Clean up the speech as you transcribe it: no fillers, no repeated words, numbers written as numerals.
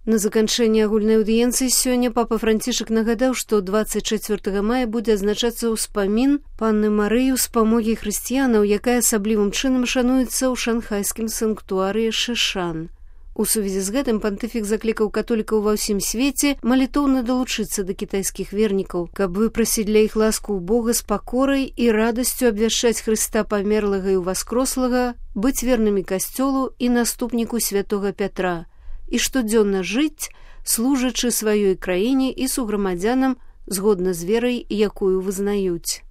На заканчэнне агульнай аўдыенцыі сёння папа Францішак нагадаў, што 24 мая будзе адзначацца ўспамін панны Марыі ўспамогі хрысціянаў, якая асаблівым чынам шануецца ў шанхайскім санктуарыі Шышан. У сувязі з гэтым пантыфік заклікаў католікаў ва ўсім свеце малітоўна далучыцца да кітайскіх вернікаў, каб выпрасіць для іх ласку ў Бога з пакорай і радасцю абвяшчаць Хрыста памерлага і ўваскрослага, быць вернымі касцёлу і наступніку святога Пятра, і штодзённа жыць, служачы сваёй краіне і суграмадзянам згодна з верай, якую вызнаюць.